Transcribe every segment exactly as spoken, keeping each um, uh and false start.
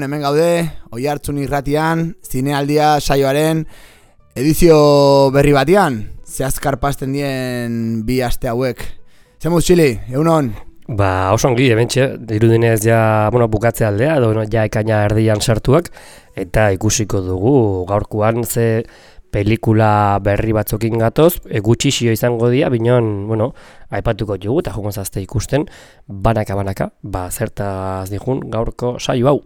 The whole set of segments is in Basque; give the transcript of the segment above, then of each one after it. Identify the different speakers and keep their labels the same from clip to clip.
Speaker 1: Hemen gaude, Oihartzun irratian, zinealdia saioaren edizio berri batean, zehazkar pasten dien bi aste hauek. Zemuz, Txili, egunon?
Speaker 2: Ba, oso ongi, hementxe, dirudinez ja, bueno, bukatze aldea, edo bueno, ja ekaina erdian sartuak, eta ikusiko dugu gaurkoan ze pelikula berri batzokin gatoz, e, gutxixio izango dira, binon, bueno, aipatuko dugu, eta joko zazte ikusten, banaka-banaka, ba, zertaz dijun gaurko saio hau.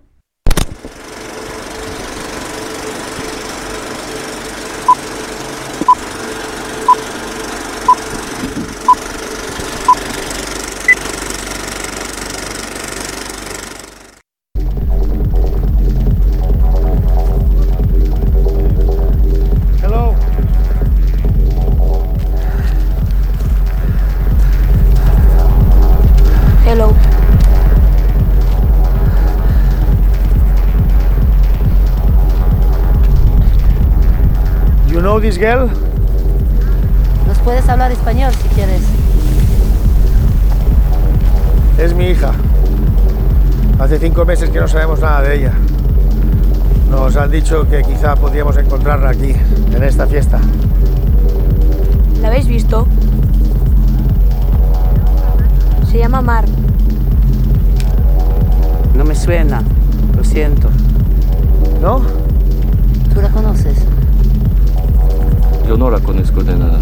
Speaker 3: This girl?
Speaker 4: Nos puedes hablar español si quieres.
Speaker 3: Es mi hija. Hace cinco meses que no sabemos nada de ella. Nos han dicho que quizá podríamos encontrarla aquí, en esta fiesta.
Speaker 5: ¿La habéis visto? Se llama Mar.
Speaker 4: No me suena, lo siento.
Speaker 3: ¿No?
Speaker 4: ¿Tú la conoces?
Speaker 6: Yo no la conozco de nada.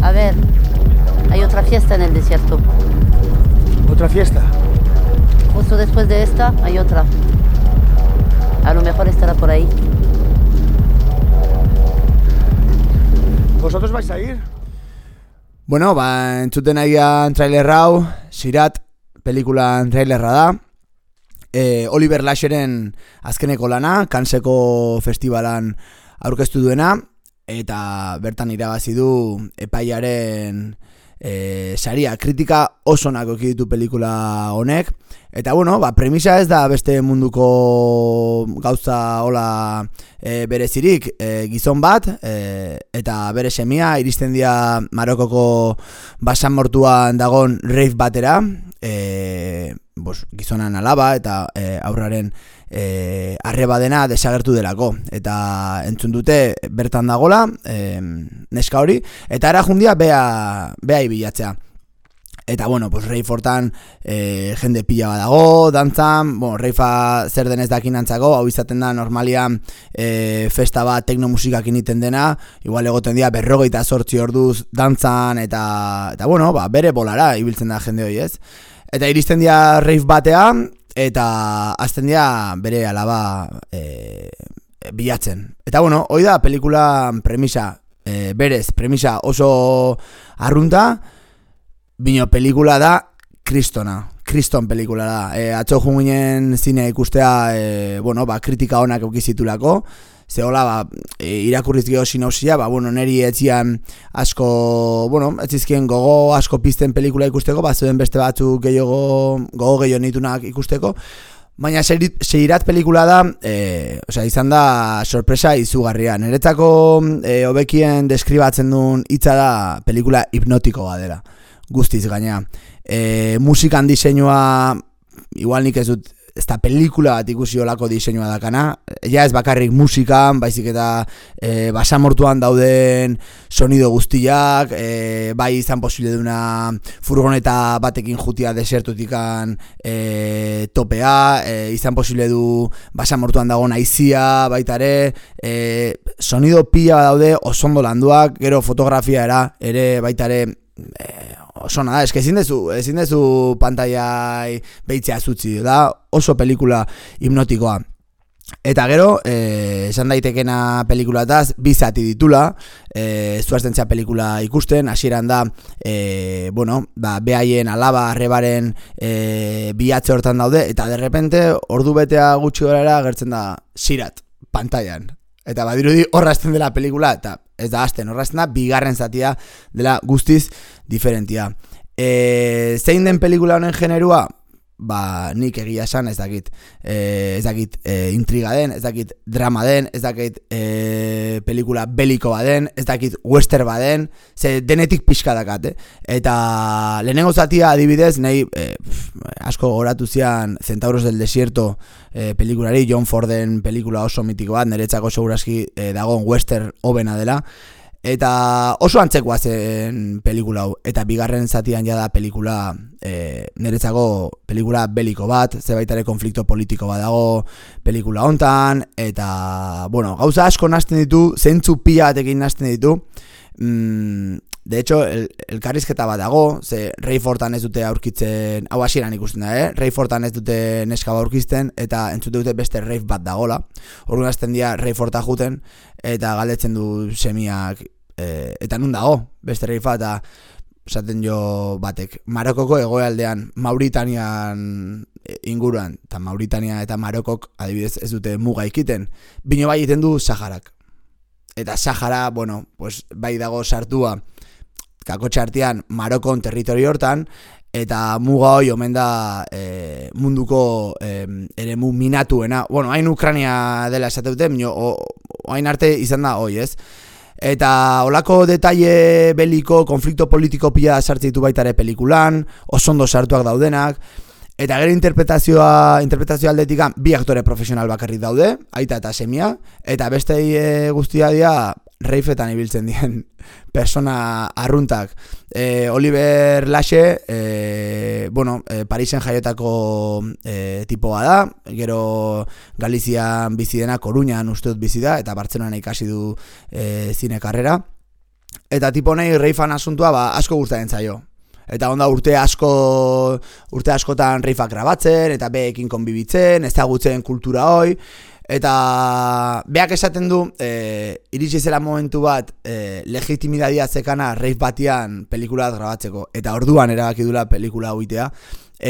Speaker 4: A ver, hay otra fiesta en el desierto.
Speaker 3: ¿Otra fiesta?
Speaker 4: Justo después de esta hay otra. A lo mejor estará por ahí.
Speaker 3: ¿Vosotros vais a ir?
Speaker 1: Bueno, ba, entzuten agian trailer hau, Sirat pelikulan trailerra da. E, Oliver Lasheren azkeneko lana, Canneseko festivalan aurkeztu duena, eta bertan irabazi du epaiaren e, saria. Kritika oso onak eduki ditu pelikula honek, eta bueno, ba, premisa ez da beste munduko gauza hola e, berezirik, e, gizon bat e, eta bere semia iristen dira Marokoko basamortuan dagon rave batera, e, bos, gizonan alaba eta e, aurraren E, arreba dena desagertu delako, eta entzun dute bertan dagola e, neska hori, eta ara jundia bea, bea ibilatzea. Eta bueno, pues Reifortan e, jende pila bat dago, dantzan, bueno, Reifa zer denez dakin antzako, hau izaten da normalian e, festa bat teknomusikak initen dena, igual egoten dira berrogeita zortzi orduz dantzan, eta, eta bueno, ba, bere bolara ibiltzen da jende hori, ez? Eta iristen dira rave batea, eta azten dira bere alaba e, bilatzen. Eta bueno, hoi da pelikula premisa, e, berez, premisa oso arrunta, bino pelikula da kristona, kriston pelikula da. E, atzo junginen zine ikustea, e, bueno, ba, kritika honak eukizitulako, zehola, ba, e, irakurriz geho sinopsia, ba, bueno, neri etzian asko, bueno, etzizkien gogo asko pizten pelikula ikusteko, ba, zeuden beste batzuk gehiago, gogo gehiago nitunak ikusteko, baina Seirat pelikula da, e, osea, izan da sorpresa izugarria. Niretzako e, hobekien deskribatzen duen hitza da pelikula hipnotikoa dela, guztiz gaina. E, musikan diseinua, igual nik ez dut, ez da pelikula bat ikusi olako diseinua dakana, ja ez bakarrik musikan, baizik eta e, basamortuan dauden sonido guztiak, e, bai izan posible duna furgoneta batekin jutia desertutikan e, topea, e, izan posible du basamortuan dago naizia, baita ere, e, sonido pila daude osondo landuak, gero fotografia era, ere baita ere, e, oso nada, eske ezin dezu, ezin dezu pantaiai behitzea zutzi, da oso pelikula hipnotikoa. Eta gero, eh, esan daitekena pelikulataz, bi zati ditula, eh, zuaztentzia pelikula ikusten, hasieran da, eh, bueno, ba, behaien alaba, arrebaren eh, bihatze hortan daude, eta derrepente, ordu betea gutxi gorara gertzen da Sirat, pantailan. Eta badirudi horrazten dela pelikula, eta ez da hasten, horrazten da, bigarren zatia dela guztiz diferentia. E, zein den pelikula honen generua? Ba, nik egia esan ez dakit, e, ez dakit e, intriga den, ez dakit drama den, ez dakit e, pelikula beliko baden, ez dakit western baden, ze denetik pixka dakat, eh? Eta lehenengo zatia adibidez, nahi e, asko goratu zian Centauros del Desierto e, pelikulari, John Forden pelikula oso mitiko bat, niretzako segurazki e, dagoen western hobena dela, eta oso antzekoa zen pelikula hau, eta bigarren zatian jada pelikula e, niretzako pelikula beliko bat, zebaitare konflikto politiko bat dago pelikula hontan, eta bueno, gauza asko nahasten ditu, zentzu pila batekin nahasten ditu, mm, de hecho, el, elkarrizketa bat dago, ze Rayfordan ez dute aurkitzen, hau hasieran ikusten da, eh? Rayfordan ez dute neska bat aurkizten, eta entzute dute beste Rafe bat dagola. Orduan hasten dira Rayforda juten, eta galdetzen du semiak, e, eta nun dago, beste Rafe bat, eta esaten jo batek, Marokoko egoaldean, Mauritanian inguruan, eta Mauritania eta Marokok adibidez ez dute muga ikiten, bino bai egiten du Saharak. Eta Sahara, bueno, pues, bai dago sartua, kakotxe artean Marokon territorio hortan, eta muga hoi omen da e, munduko e, eremu minatuena. Bueno, hain Ukrania dela esateute, hain arte izan da hoi, ez? Eta olako detaile beliko, konflikto politiko pila sartzen ditu baitare pelikulan, osondo sartuak daudenak, eta gero interpretazioa, interpretazioa aldetikan bi aktore profesional bakarrik daude, aita eta semia, eta beste e, guztia dira Rafetan ibiltzen dien persona arruntak. E, Oliver Lashe, e, bueno, e, Parisen jaiotako e, tipoa da, gero Galizian bizi dena, Coruñan uste dut bizi da, eta Bartzelonan ikasi du e, zine karrera. Eta tipo nahi Rafean asuntua ba, asko gustatzen zaio. Eta onda urte asko urte askotan Rafeak grabatzen, eta beekin konbibitzen, ezagutzen kultura hoi. Eta beak esaten du, e, iritsi zela momentu bat e, legitimidadia zekana Rafe batian pelikula bat grabatzeko. Eta orduan erabaki dula pelikula huitea.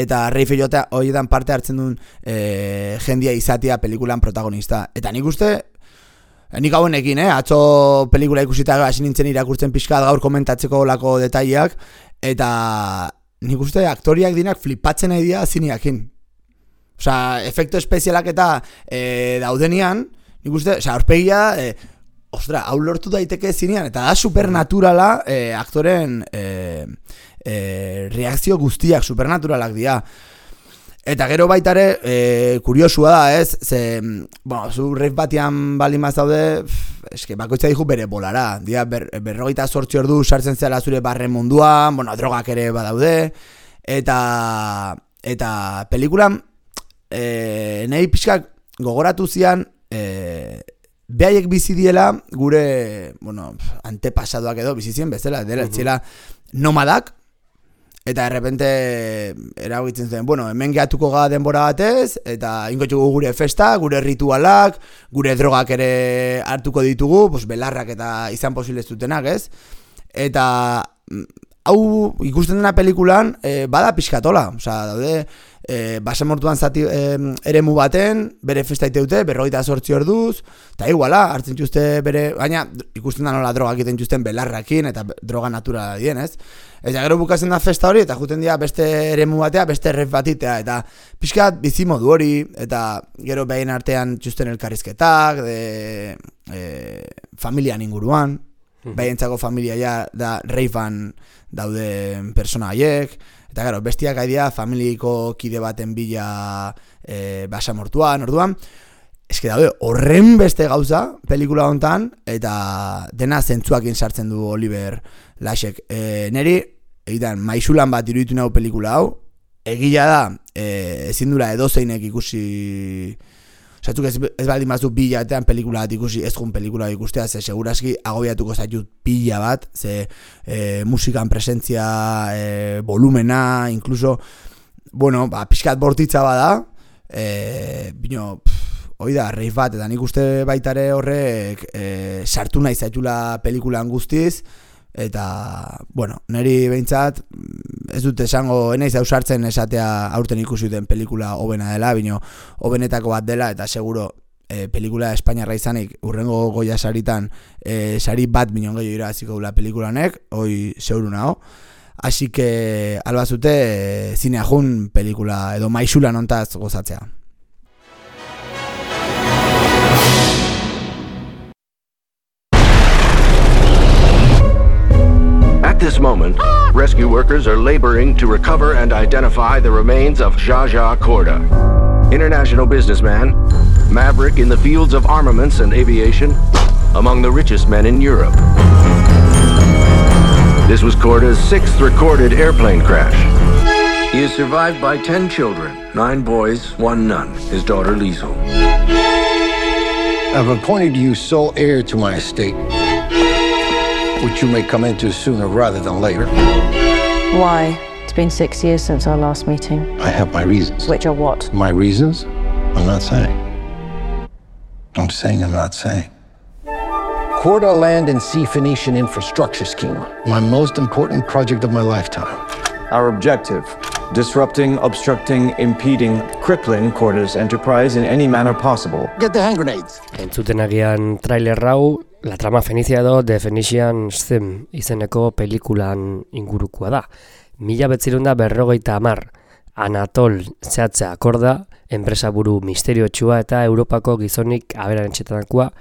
Speaker 1: Eta Rafe horietan parte hartzen duen e, jendia izatea pelikulan protagonista. Eta nik uste, nik hauenekin, eh? Atzo pelikula ikusita hasi nintzen irakurtzen pixka gaur komentatzeko lako detaileak. Eta nik uste aktoriak dinak flipatzen nahi dira zineakin. Osa, efektu espezialak eta e, daudenian, nik uste, osa, aurpegia, e, ostra, hau lortu daiteke zinean, eta da supernaturala e, aktoren e, e, reakzio guztiak supernaturalak dira. Eta gero baitare, e, kuriosua da, ez, ze, bueno, zu Rafe batian baldin maz daude, eske, bakoitza dihu bere bolara, dia, ber, berrogeita sortzi ordu sartzen zela zure barren munduan, bueno, drogak ere badaude, eta, eta pelikulan, E, nahi pixkak gogoratu zian e, behaiek bizi diela gure, bueno, antepasadoak edo bizi zien bezala, dela, uh-huh. Zela nomadak, eta errepente eragitzen zen, bueno, hemen gehatuko ga denbora batez, eta inkotxugu gure festa, gure ritualak, gure drogak ere hartuko ditugu, pues, belarrak eta izan posible zutenak, ez? Eta hau ikusten dena pelikulan e, bada pixkatola, osea, daude e, basamortuan zati e, eremu baten, bere festa iteute, berrogeita zortzi orduz, eta iguala, hartzen txuste bere, baina ikusten da nola drogak egiten txusten belarrakin, eta droga naturala dien, ez? Eta gero bukatzen da festa hori, eta juten dira beste eremu batea, beste ref batitea, eta pixkat bizi modu hori, eta gero behin artean txusten elkarrizketak, de e, familian inguruan, behintzako familia ja da Rafean daude persona haiek, eta gero, bestiak haidia familiko kide baten bila e, basamortuan, orduan, eske daude horren beste gauza pelikula hontan, eta dena zentzuakin sartzen du Oliver Lashek. E, neri, egiten, maisulan bat iruditu nahu pelikula hau, egila da, e, ezin dula edozeinek ikusi. Zatzuk ez, ez baldin batzuk pila batean pelikula bat ikusi, ez jun pelikula bat ikustea, ze seguraski agobiatuko zaitut pila bat, ze e, musikan presentzia, e, volumena, incluso, bueno, ba, pixkat bortitza bada, e, bino, pff, hoi da, rave bat, eta nik uste baitare horrek e, sartu nahi zaitula pelikulan guztiz, eta, bueno, niri behintzat, ez dut esango, enaiz ausartzen esatea aurten ikusi duten pelikula hobena dela, bino hobenetako bat dela, eta seguro, e, pelikula espainiarra izanik, urrengo Goya saritan, e, sari bat minon gehiago irabaziko dula pelikulanek, hoi zeuru nago. Así que, albazute, e, zinea jun pelikula, edo maixula nontaz gozatzea.
Speaker 7: At this moment, rescue workers are laboring to recover and identify the remains of Jaja Korda, international businessman, maverick in the fields of armaments and aviation, among the richest men in Europe. This was Korda's sixth recorded airplane crash. He is survived by ten children, nine boys, one nun, his daughter Liesl.
Speaker 8: I've appointed you sole heir to my estate, which you may come into sooner rather than later.
Speaker 9: Why? It's been six years since our last meeting.
Speaker 8: I have my reasons.
Speaker 9: Which are what?
Speaker 8: My reasons? I'm not saying. I'm saying I'm not saying. Korda Land and Sea Phoenician Infrastructure Scheme, my most important project of my lifetime.
Speaker 10: Our objective, disrupting, obstructing, impeding, crippling Korda's enterprise in any manner possible.
Speaker 8: Get the hand grenades.
Speaker 2: Entzuten agian trailer hau, La trama fenicia edo The Phoenician Scheme izeneko pelikulan ingurukoa da. Mila betzirunda berrogeita hamar, Anatol Zehatza Korda, enpresaburu misteriotsua eta Europako gizonik aberatsenetakoa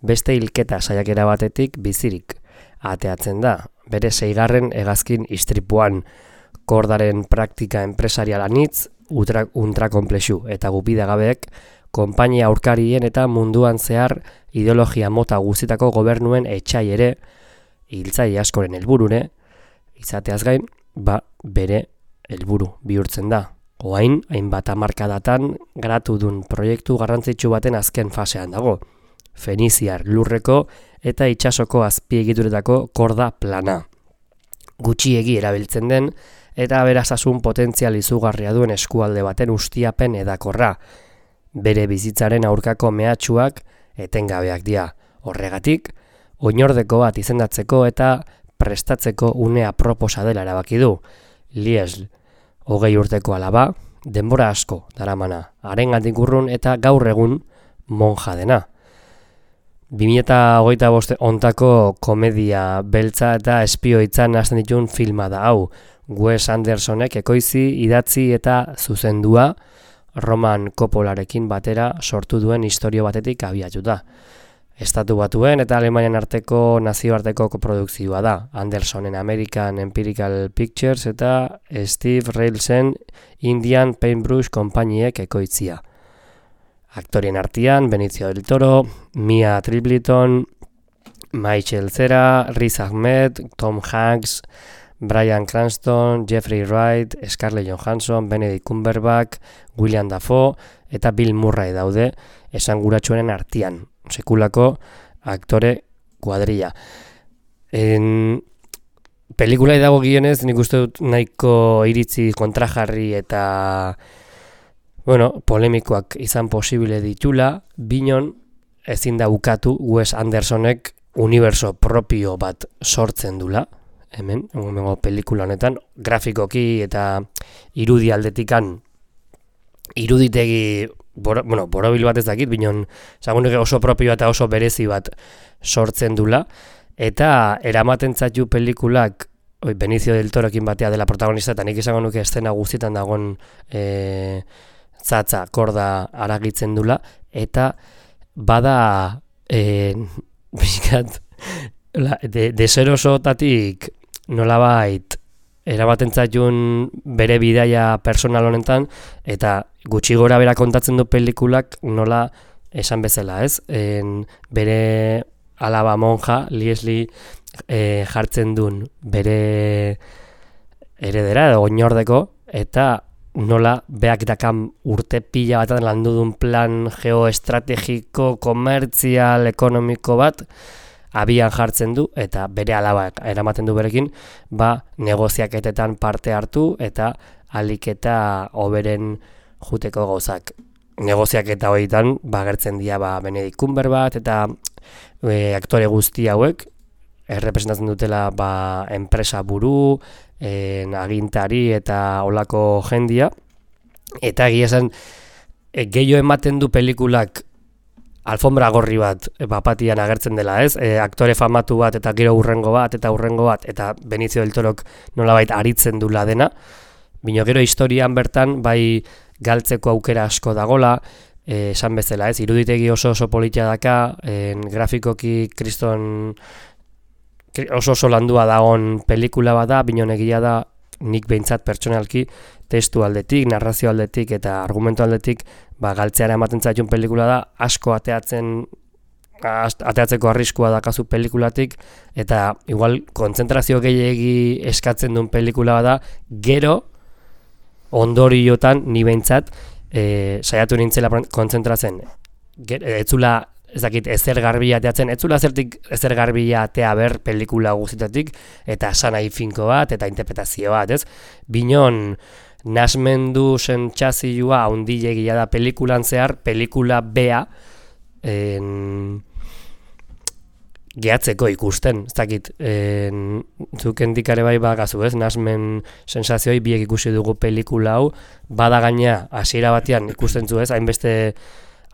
Speaker 2: beste hilketa saiakera batetik bizirik ateatzen da. Bere seigarren hegazkin istripuan, Kordaren praktika enpresarial anitz, ultrakonplexu eta gupidagabeek, konpainia aurkarien eta munduan zehar ideologia mota guztietako gobernuen etxai ere, hiltzaile askoren helburune, izateaz gain, ba bere helburu bihurtzen da. Oain, hainbat hamarkadatan garatu dun proiektu garrantzitsu baten azken fasean dago. Feniziar lurreko eta itsasoko azpiegituretako Korda plana. Gutxiegi erabiltzen den eta aberastasun potentzial izugarria duen eskualde baten ustiapen edakorra. Bere bizitzaren aurkako mehatxuak etengabeak dira. Horregatik, oinordeko bat izendatzeko eta prestatzeko une aproposa dela erabaki du. Liesl, hogei urteko alaba, denbora asko daramana, harengandik urrun eta gaur egun monja dena. bi mila hogeita bost ontako komedia beltza eta espioitzan hasten dituen filma da hau. Wes Andersonek ekoizi, idatzi eta zuzendua Roman Coppolarekin batera sortu duen istorio batetik abiatuta. Estatu Batuen eta Alemanian arteko nazioarteko koprodukzioa da. Andersonen American Empirical Pictures eta Steve Railsen Indian Paintbrush konpainiek ekoitzia. Aktorien artean Benicio del Toro, Mia Tripliton, Michael Cera, Riz Ahmed, Tom Hanks, Bryan Cranston, Jeffrey Wright, Scarlett Johansson, Benedict Cumberbatch, William Dafoe eta Bill Murray daude esanguratsuenen artean. Sekulako aktore kuadrilla. En pelikulai dago gionez, nik uste dut nahiko iritzi kontrajarri eta bueno, polemikoak izan posible ditula, binon ezin da ukatu Wes Andersonek uniberso propio bat sortzen dula, hemen, hemengo pelikula honetan, grafikoki eta irudi aldetikan iruditegi Boro, bueno, borobil bat ez dakit, binon zagunek oso propio eta oso berezi bat sortzen dula, eta eramaten zaitu pelikulak oi, Benicio del Torokin batea dela protagonista, eta nik izango nuke estena guztietan dagoen e, Zatza Korda aragitzen dula, eta bada e, bizkat, de, deserosotatik nolabait eramaten zaitun bere bidaia personal honetan, eta gutxi gora bera kontatzen du pelikulak nola esan bezala, ez? En, bere alaba monja, Liesli e, jartzen duen bere heredera edo oinordeko, eta nola beak dakan urte pila bat landu duen plan geoestrategiko, komertzial, ekonomiko bat, abian jartzen du eta bere alabak eramaten du berekin, ba negoziaketetan parte hartu eta alik eta hoberen juteko gauzak negoziak eta horietan, ba, gertzen dira, ba, Benedict Cumberbatch eta e, aktore guzti hauek, errepresentatzen dutela, ba, enpresa buru, en, agintari eta olako jendia, eta egia esan, e, gehiago ematen du pelikulak alfombra gorri bat bapatian agertzen dela, ez? E, aktore famatu bat eta gero urrengo bat eta urrengo bat eta Benicio del Torok nolabait aritzen dula dena. Bino gero historian bertan bai galtzeko aukera asko dagola, e, esan bezala, ez? Iruditegi oso oso politia daka, en, grafikoki kriston oso oso landua dagoen pelikula bat da, bino egia da nik behintzat pertsonalki testu aldetik, narrazio aldetik eta argumentu aldetik ba, galtzeara ematen zaitun pelikula da, asko ateatzen ateatzeko arriskua dakazu pelikulatik, eta igual kontzentrazio gehiegi eskatzen duen pelikula da, gero ondoriotan ni behintzat e, saiatu nintzela kontzentratzen. Etzula ez dakit, ezer garbia ateatzen, etzula zertik ezer garbia atea ber pelikula guztitatik, eta sanai finko bat, eta interpretazio bat, ez? Binon, nasmendu sentsazioa handilegia da pelikulan zehar, pelikula bea en, gehatzeko ikusten, ez dakit, en, zuken dikare bai bagazu, ez? Nasmen sensazioi biek ikusi dugu pelikula hau, bada gaina hasiera batean ikusten zu, ez? Hainbeste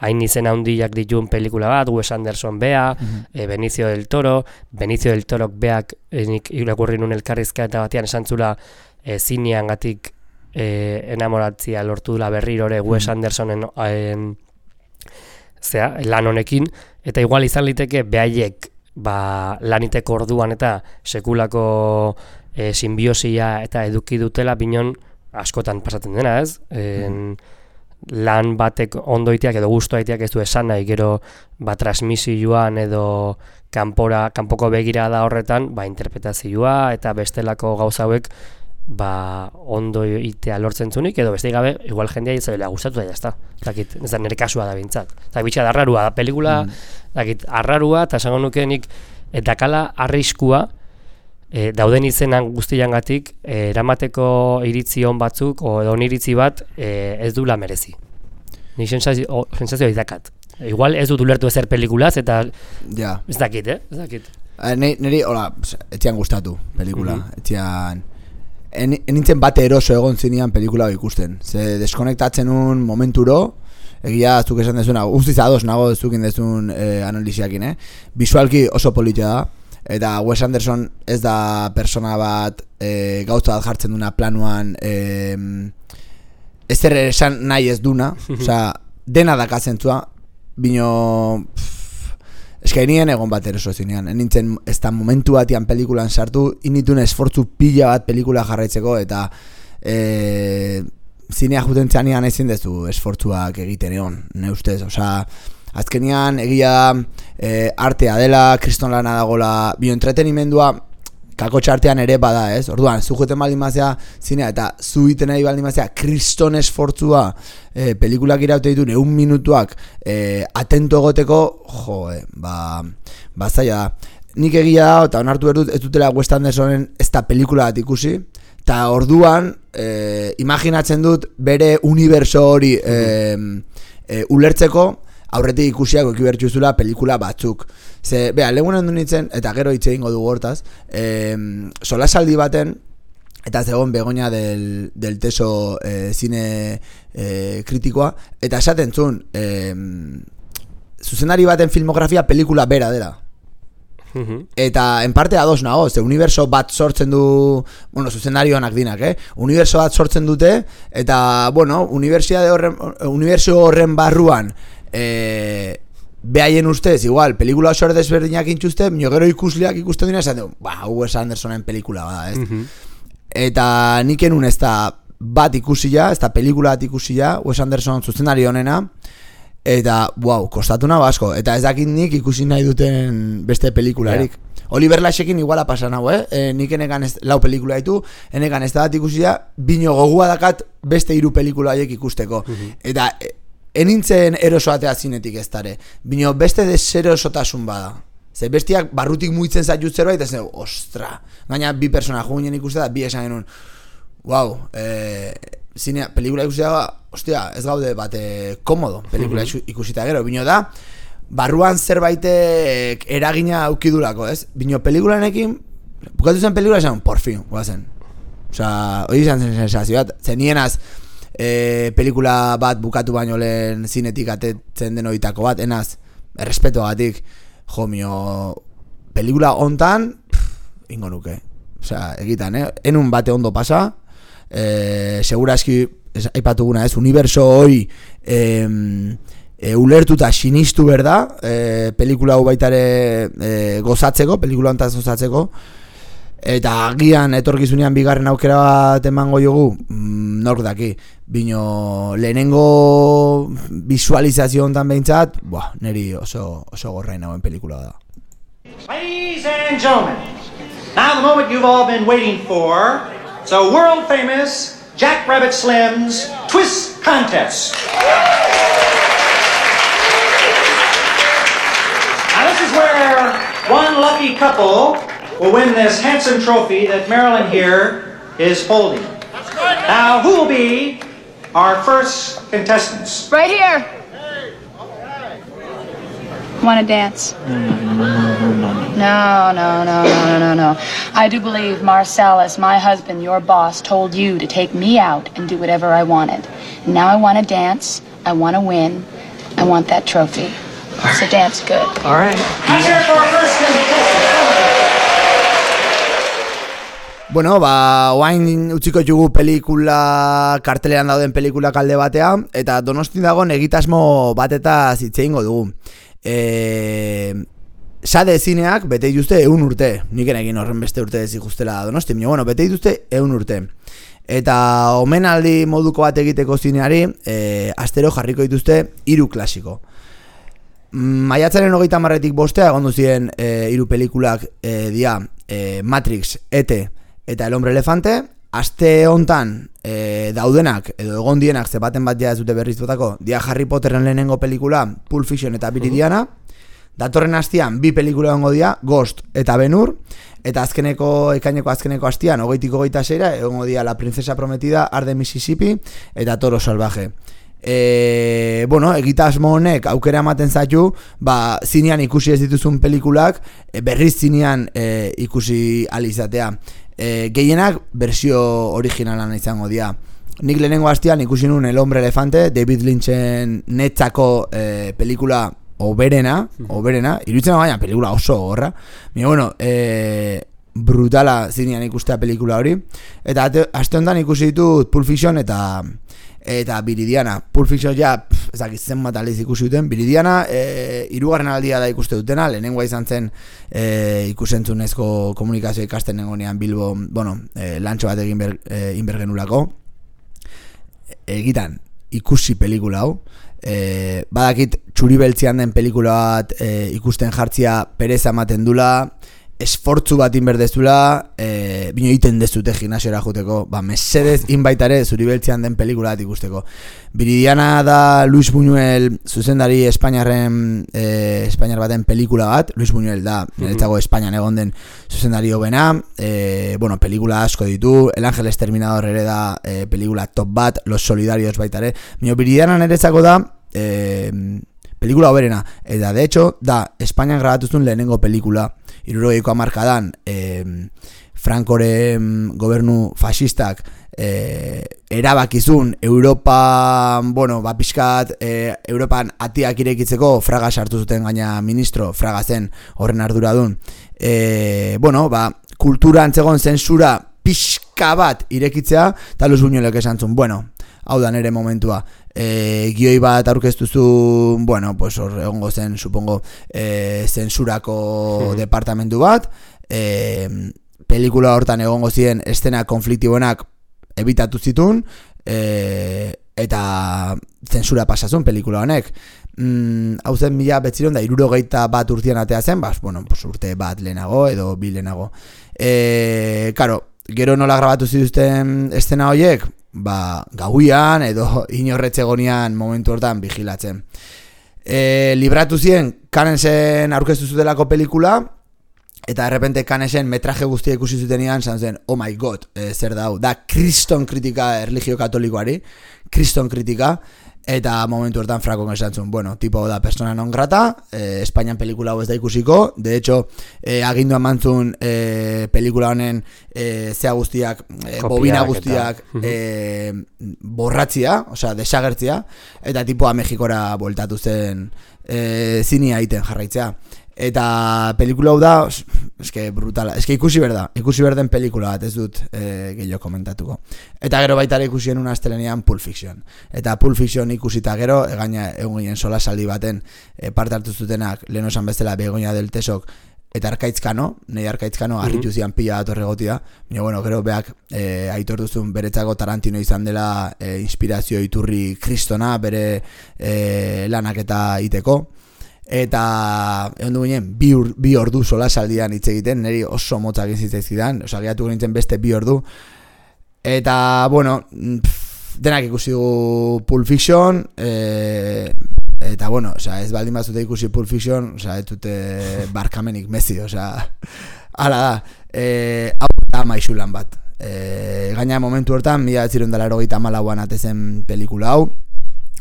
Speaker 2: hain izen handiak dituen pelikula bat, Wes Anderson bea, mm-hmm. e, Benicio del Toro, Benicio del Torok beak e, nik irakurri nun elkarrizketa batean esan zula e, zinean gatik e, enamoratzia lortu dula berrirore mm-hmm. Wes Andersonen en, zera, lan honekin, eta igual izan liteke behaiek ba, laniteko orduan eta sekulako e, simbiosia eta eduki dutela binon askotan pasatzen dena, ez? En, mm-hmm. lan batek ondoiteak edo gustoaiteak ez du esan nahi, gero ba, transmisioan edo kanpora, kanpoko begirada horretan ba, interpretazioa eta bestelako gauza hauek ba, ondoitea lortzen zunik, edo beste gabe igual jendea izaila gustatu da jazta. Dakit, ez da nire kasua da bintzat. Eta bitxa da arrarua, da pelikula, mm. dakit, arrarua, eta esango nuke nik, eta kala arriskua, E, dauden izenan guztiangatik e, eramateko iritzi on batzuk o edo iritzi bat e, ez dula merezi. Ni sensazio sensazio idakat. Igual ez dut ulertu ezer pelikulaz eta
Speaker 1: ja.
Speaker 2: Ez dakit, eh? Ez dakit.
Speaker 1: Neri, hola, etzian gustatu pelikula. Mm-hmm. Etzian en, enintzen bate eroso egon zinean pelikula ikusten. Ze deskonektatzen un momenturo, egia zuk esan dezuna, guztiz ados nago zukin dezun eh, analiziakin, eh? Visualki oso politia da. Eta Wes Anderson ez da persona bat e, gauza bat jartzen duna planuan e, ezer esan nahi ez duna, osea, dena dakazentzua, bino eskainien egon bat eroso zinean, enintzen ez da momentu batian pelikulan sartu, initun esfortzu pila bat pelikula jarraitzeko, eta e, zinea juten txanean ezin dezu esfortzuak egiten egon, ne ustez, osea, azkenian egia e, artea dela, kriston lana dagola, bio entretenimendua kakotxa artean ere bada, ez? Orduan, zu joten baldin mazea zinea eta zu iten nahi baldin mazea kriston esfortzua e, pelikulak iraute ditu neun minutuak e, atento egoteko, jo, e, ba, ba zaila da. Nik egia da, eta onartu berdut ez dutela Wes Andersonen ez da pelikula bat ikusi, eta orduan e, imaginatzen dut bere uniberso hori e, e, ulertzeko aurretik ikusiak eki bertxuzula pelikula batzuk. Ze, beha, legunen du nintzen, eta gero hitz egingo dugu hortaz, e, solasaldi baten, eta zegoen Begoña del, del Teso e, zine e, kritikoa, eta esaten zuen, e, zuzendari baten filmografia pelikula bera dela. Eta en parte ados nago, ze uniberso bat sortzen du, bueno, zuzendarioanak dinak, eh? Uniberso bat sortzen dute, eta, bueno, unibertsitate horren, uniberso horren barruan, e, behaien ustez, igual, pelikula oso desberdinak intxuzte, mino gero ikusleak ikusten dira, esan dugu, ba, Wes Andersonen pelikula bada, ez? Mm-hmm. Eta nik enun ez da bat ikusia, ez da pelikula bat ikusia, Wes Anderson zuzendari honena, eta, wow, kostatu nago asko, eta ez dakit nik ikusi nahi duten beste pelikularik. Yeah. Oliver Lashekin iguala pasan hau, eh? E, nik enekan ez, lau pelikula ditu, enekan ez da bat ikusia, bino gogua dakat beste hiru pelikula haiek ikusteko. Mm-hmm. Eta e, enintzen erosoatea zinetik ez dare, bino beste deserosotasun bada. Ze bestiak barrutik muitzen zaitu zerbait, eta zen, ostra, gaina bi persona juginen ikuste da, bi esan genuen, wow, e, zinea, pelikula ikusita, ostia, ez gaude bate komodo, pelikula ikusita gero, bino da, barruan zerbaitek eragina aukidulako, ez? Bino pelikulanekin, bukatu zen pelikula esan, por fin, guazen. Osa, hori izan zen sensazio bat, zenienaz, e, pelikula bat bukatu baino lehen zinetik atetzen den oitako bat, enaz, errespetoagatik, jo, mio, pelikula hontan, ingo nuke. Osea, egitan, eh? Enun bate ondo pasa, eh, seguraski, aipatuguna ez, uniberso hoi eh, e, ulertuta sinistu berda, eh, pelikula hau baitare eh, gozatzeko, pelikula hontaz gozatzeko, eta agian etorkizunean bigarren aukera bat emango jogu, mm, nork daki, bino lehenengo visualizazio hontan behintzat, buah, neri oso, oso gorrain hauen pelikula da.
Speaker 11: Ladies and gentlemen, now the moment you've all been waiting for, so world famous Jack Rabbit Slim's Twist Contest. Now this is where one lucky couple will win this handsome trophy that Marilyn here is holding. Now, who will be our first contestants?
Speaker 5: Right here. Want to dance?
Speaker 12: No, no, no, no, no, no, no. I do believe Marcellus, my husband, your boss, told you to take me out and do whatever I wanted. Now I want to dance, I want to win, I want that trophy. So dance good.
Speaker 11: All right. Let's hear it for our first contestant.
Speaker 1: Bueno, ba, oain utziko jugu pelikula, kartelean dauden pelikula kalde batea, eta Donostin dagoen egitasmo bateta zitzeingo dugu. E, sade zineak bete dituzte eun urte, niken egin horren beste urte ez ikustela Donostin, bueno, bete dituzte eun urte. Eta omenaldi moduko bat egiteko zineari, e, astero jarriko dituzte hiru klasiko. Maiatzaren hogeita hamarretik bostea egon duzien e, hiru pelikulak e, dia e, Matrix, E T eta El Hombre Elefante. Aste hontan e, daudenak edo egon dienak zebaten bat ja ez dute berriz botako dia Harry Potterren lehenengo pelikula Pulp Fiction eta Viridiana. Datorren astean bi pelikula egongo dira Ghost eta Ben-Hur, eta azkeneko ekaineko azkeneko astean hogeitik hogeita seira egongo dira La Princesa Prometida, Arde Mississippi eta Toro Salvaje. E, bueno, egitasmo honek aukera ematen zaitu, ba, zinean ikusi ez dituzun pelikulak e, berriz zinean e, ikusi alizatea. E, gehienak bersio originalan izango dira. Nik lehenengo hastian ikusi nuen El Hombre Elefante, David Lynchen netzako e, pelikula oberena, oberena, iruditzen baina pelikula oso gorra. Baina, bueno, e, brutala zinean ikustea pelikula hori. Eta aste honetan ikusi ditut Pulp Fiction eta eta Viridiana. Pulp Fiction ja, pff, ezak izen bat aliz ikusi duten. Viridiana, e, irugarren aldia da ikuste dutena, lehenengoa izan zen e, ikusentzunezko komunikazio ikasten nengonean Bilbo, bueno, e, lantxo bat egin ber, e, inbergenulako. Egitan, ikusi pelikula hau. E, badakit txuri beltzian den pelikula bat e, ikusten jartzia pereza ematen dula, esfortzu bat inberdezula, e, bino egiten dezute gimnasiora juteko, ba, mesedez inbaitare zuri beltzean den pelikula bat ikusteko. Viridiana da Luis Buñuel zuzendari Espainiarren, e, Espainiar baten pelikula bat. Luis Buñuel da, niretzako Espainian egon den zuzendari hobena, e, bueno, pelikula asko ditu, El Ángel Exterminador ere da e, pelikula top bat, Los Solidarios baitare. Bino Viridiana niretzako da e, pelikula hoberena, eta de hecho da Espainian grabatuzun lehenengo pelikula. Hirurogeiko hamarkadan eh, Francoren gobernu fascistak eh, erabakizun Europa, bueno, ba pixkat eh, Europan atiak irekitzeko Fraga sartu zuten gaina ministro, Fraga zen horren arduradun. Eh, bueno, ba, kultura antzegon zensura pixka bat irekitzea, eta Luis Buñuelek esan zuen, bueno, hau da nere momentua. E, gioi bat aurkeztuzu, bueno, pues hor egongo zen, supongo, e, zensurako hmm. departamentu bat, e, pelikula hortan egongo ziren estena konfliktiboenak ebitatu zitun, e, eta zensura pasazun pelikula honek. Mm, hau zen mila betziron da hirurogeita bat urtean atea zen, bas, bueno, pues urte bat lehenago edo bi lehenago. E, karo, gero nola grabatu zituzten estena horiek, ba, gauian edo inorretzegonian momentu hortan vigilatzen. E, libratu zien Canensen aurkeztu zutelako pelikula, eta errepente Canesen metraje guztia ikusi zutenean, zan zen, oh my god, e, zer da hau, da kriston kritika erlijio katolikoari, kriston kritika, eta momentu hortan Frankok esan zuen, bueno, tipo da persona non grata, eh, Espainian pelikula hau ez da ikusiko, de hecho, eh, agindu emantzun eh, pelikula honen eh, zea guztiak, eh, bobina guztiak eh, borratzia, osea, desagertzia, eta tipoa Mexikora bueltatu zen eh, zinia egiten jarraitzea. Eta pelikula hau da, eske brutala, eske ikusi berda, ikusi berden pelikula bat, ez dut e, gehiago komentatuko. Eta gero baita ere ikusien una astelenean Pulp Fiction. Eta Pulp Fiction ikusita gero, egaina egun ginen solasaldi baten e, parte hartu zutenak, lehen osan bezala Begoña del Tesok, eta Arkaitzkano, nahi Arkaitzkano, harritu zian pila bat horregotia, baina bueno, gero beak e, aitor duzun beretzako Tarantino izan dela e, inspirazio iturri kristona, bere e, lanak eta iteko. Eta egon du ginen bi, ur, bi ordu solasaldian hitz egiten, niri oso motzak izitzaizkidan, oza, gehiatu nintzen beste bi ordu. Eta, bueno, pff, denak ikusi dugu Pulp Fiction, e, eta, bueno, oza, ez baldin bazute ikusi Pulp Fiction, oza, ez dute barkamenik mezi, oza, hala da, e, hau da maixulan bat. E, gaina momentu hortan, mila behatziehun eta laurogeita hamalauan atezen pelikula hau,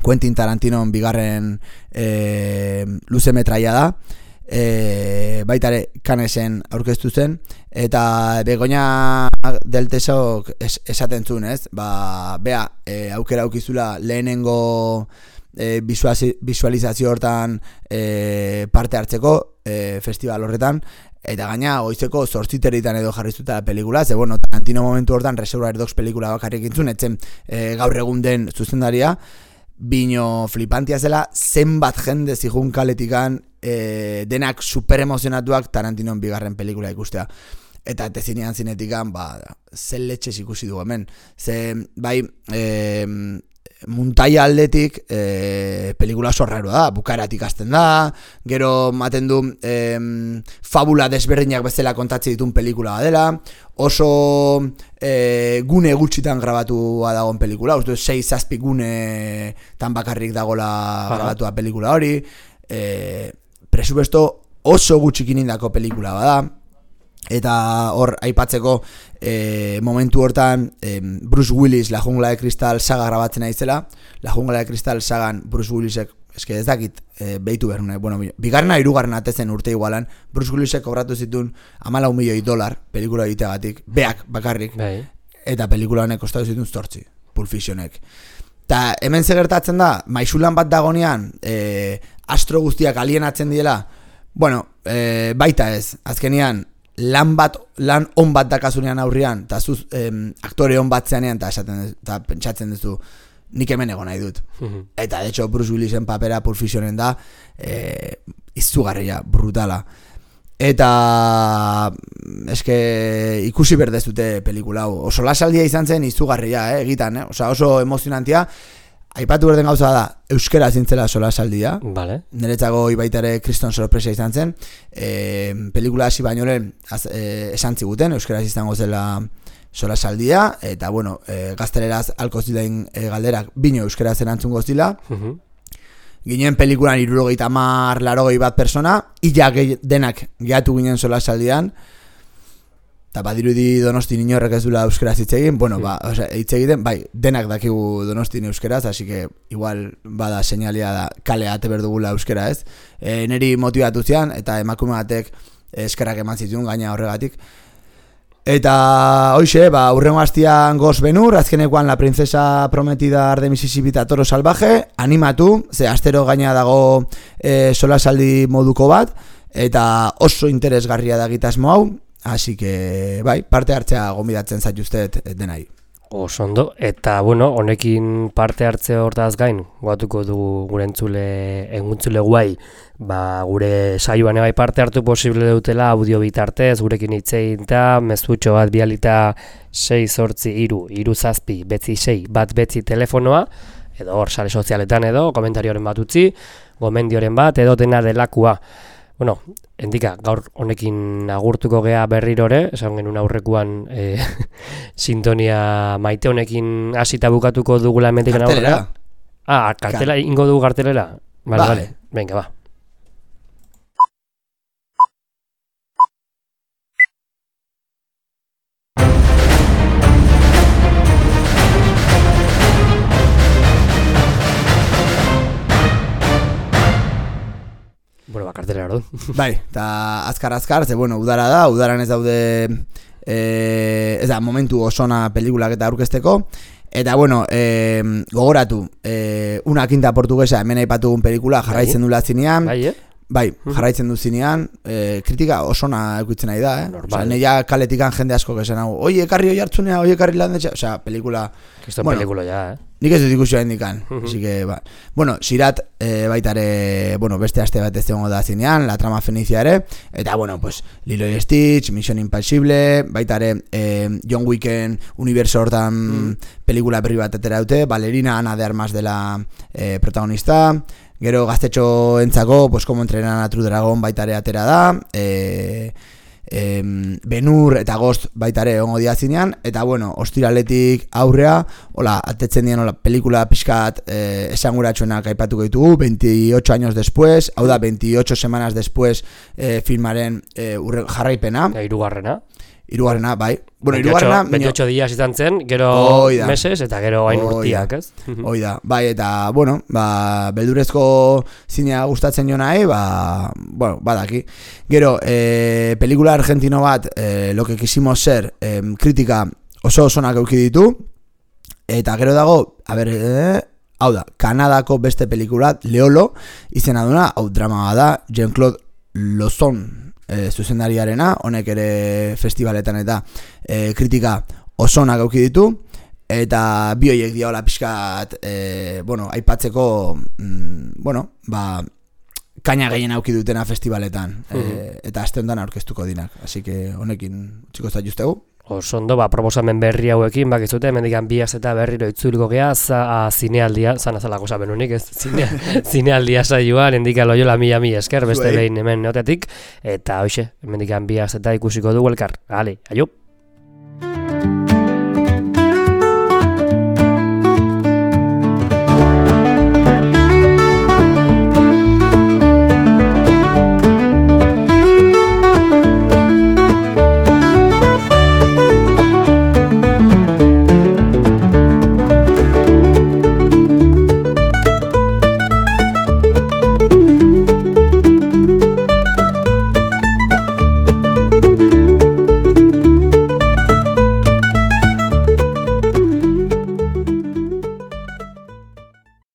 Speaker 1: Quentin Tarantinon bigarren e, luze metraia da, e, baita ere Canesen aurkeztu zen, eta Begoña del Tesok es, esaten zuen, ez? Ba, bea, e, aukera aukizula lehenengo e, visualizazio hortan e, parte hartzeko e, festival horretan, eta gaina goizeko zortziterritan edo jarriztuta la pelikula, ze bueno, Tarantino momentu hortan Reservoir Dogs pelikula bakarrik intzun, etzen e, gaur egun den zuzendaria, bino flipantia zela, zenbat jende zijun kaletikan e, denak super emozionatuak Tarantinon bigarren pelikula ikustea. Eta tezinean zinetikan, ba, zen letxez ikusi du hemen. Ze, bai, e, muntaia aldetik e, pelikula oso raroa da, bukaeratik hasten da, gero maten du e, fabula desberdinak bezala kontatzen ditun pelikula badela, oso e, gune gutxitan grabatua dagoen pelikula, uste sei zazpi gune tan bakarrik dagola grabatua pelikula hori, e, presupuesto oso gutxikin indako pelikula bada, eta hor aipatzeko e, momentu hortan e, Bruce Willis La Jungla de Cristal saga grabatzen aizela. La Jungla de Cristal sagan Bruce Willisek, eske ez dakit e, behitu behar, bueno, bigarna hirugarren atezen urte igualan, Bruce Willisek kobratu zituen hamalau milioi dolar pelikula egiteagatik, beak bakarrik, Bai. Eta pelikula honek kostatu zituen zortzi, Pulp Fictionek. Eta hemen zegertatzen da, maisulan bat dagonean e, astro guztiak alienatzen diela, bueno, e, baita ez, azkenian lan bat, lan on bat dakasunean aurrian, eta zuz em, aktore on bat zeanean, eta pentsatzen duzu, nik hemen egon nahi dut. Mm-hmm. Eta, de hecho, Bruce Willisen papera Pulp Fictionen da, e, izugarria, brutala. Eta, eske, ikusi berdezute pelikula hau. Oso lasaldia izan zen izugarria, eh, egitan, eh? Osa, oso emozionantia. Aipatu berden gauza da, euskera zintzela solasaldia. Vale. Niretzako ibaitare kriston sorpresa izan zen. E, pelikula hasi baino lehen e, esan ziguten, euskera izango zela solasaldia, eta bueno, e, gazteleraz alko zilein e, galderak bino euskera erantzun gozila. Uh-huh. Ginen pelikulan hirurogeita hamar larogei bat persona, illa ge, denak gehatu ginen solasaldian. Eta badirudi Donostin inorrek ez dula euskeraz hitz egin, bueno, ba, o sea, hitz egiten, bai, denak dakigu Donostin euskeraz, así que igual bada señalia da kale ate berdugula euskera, ez? E, neri motivatu zian, eta emakume batek eskerrak eman zituen gaina horregatik. Eta, hoxe, ba, urrengo hastian Goz Benur, azkenekoan La Princesa Prometida de Mississippi eta Toro Salvaje, animatu, ze astero gaina dago e, solasaldi moduko bat, eta oso interesgarria da gitasmo hau, así que, bai, parte hartzea gonbidatzen zaituztet denai.
Speaker 2: Oso ondo, eta, bueno, honekin parte hartze hortaz gain, guatuko dugu gure entzule, enguntzule guai, ba, gure saioan ebai parte hartu posible dutela audio bitartez, gurekin hitzein eta mezutxo bat bialita sei zortzi iru, iru zazpi, betzi sei, bat betzi telefonoa, edo hor sare sozialetan edo, komentarioren bat utzi, gomendioren bat, edo dena delakua. Bueno, endika, gaur honekin agurtuko gea berrirore, esan genuen aurrekuan e, sintonia maite honekin hasita bukatuko dugula hemendik aurrera. Ah, kartela ingo dugu kartelera? Vale, vale. Venga, va. orduan.
Speaker 1: Bai, eta azkar-azkar, ze bueno, udara da, udaran ez daude, e, ez da, momentu osona pelikulak eta aurkezteko, eta bueno, e, gogoratu, e, una quinta portuguesa, hemen aipatugun pelikula jarraitzen dula zinean,
Speaker 2: bai, eh?
Speaker 1: Bai, jarraitzen du zinean, e, kritika osona ekuitzen nahi da, eh? Osa, neia kaletikan jende asko gezen hau, oie, ekarri oi hartzunea, oie, ekarri landetxa, osea, pelikula...
Speaker 2: Kriston bueno, pelikula ja, eh?
Speaker 1: Nik ez dut ikusioa indikan, uh -huh. Así que, ba... Bueno, Sirat e, baitare, bueno, beste aste bat ez egongo da zinean, La trama fenicia ere, eta, bueno, pues, Lilo y Stitch, Mission Impossible, baitare e, John Wicken universo hortan mm. pelikula berri bat atera dute, Valerina Ana de Armas dela e, protagonista, gero gaztetxo entzako, pues, como entrenan a True Dragon baitare atera da, e, e, Benur eta Ghost baitare ongo dia zinean, eta bueno, ostiraletik aurrea, hola, atetzen dien hola, pelikula pixkat e, esanguratsuenak aipatuko ditugu, veintiocho años después, hau da, veintiocho semanas después e, filmaren e, urre, jarraipena.
Speaker 2: Hirugarrena.
Speaker 1: Hirugarrena, bai. Bueno, hirugarrena...
Speaker 2: veintiocho días izan zen, gero meses, eta gero hain urtiak, ez?
Speaker 1: Hoi da, bai, eta, bueno, ba, beldurezko zinea gustatzen jo nahi, ba, bueno, badaki. Gero, e, pelikula argentino bat, e, lo que quisimos ser, e, kritika oso osonak euki ditu, eta gero dago, a ber, e, hau da, Kanadako beste pelikulat, Leolo, izena duna, hau drama da, Jean-Claude Lozon, E, zuzendariarena, honek ere festivaletan eta e, kritika osonak auki ditu, eta bi horiek diola pixkat, e, bueno, aipatzeko, mm, bueno, ba, kaina gehien auki dutena festivaletan, uh -huh. e, eta aste honetan aurkeztuko dinak, así que honekin txiko ez da justegu.
Speaker 2: Osondo, ba, proposamen berri hauekin, bak ez dute, hemendikan biaz eta berriro itzuliko geha, za, zinealdia, zan azalako sabenunik, ez, Zine, zinealdia saioan, endika loiola mila mila esker, beste behin hemen neotetik, eta hoxe, hemendikan biaz eta ikusiko dugu elkar, ale, aio!